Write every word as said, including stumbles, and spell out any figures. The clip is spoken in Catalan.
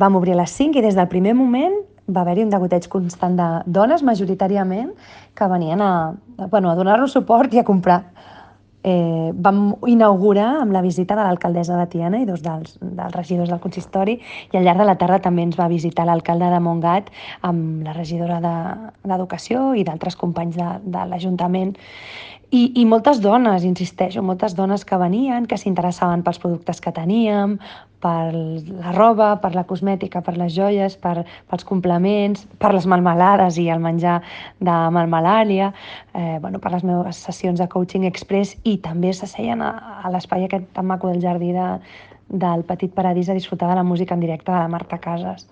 Vam obrir a les cinc i des del primer moment va haver-hi un degoteig constant de dones, majoritàriament, que venien a, bueno, a donar-nos suport i a comprar. Eh, vam inaugurar amb la visita de l'alcaldessa de Tiana i dos dels, dels regidors del consistori, i al llarg de la tarda també ens va visitar l'alcalde de Montgat amb la regidora de- d'Educació i d'altres companys de, de l'Ajuntament. I, I moltes dones, insisteixo, moltes dones que venien, que s'interessaven pels productes que teníem, per la roba, per la cosmètica, per les joies, per, pels complements, per les melmelades i el menjar de melmelàlia, eh, bueno, per les meves sessions de coaching express, i també s'asseien a, a l'espai aquest tan maco del jardí de, del Petit Paradís a disfrutar de la música en directe de la Marta Casas.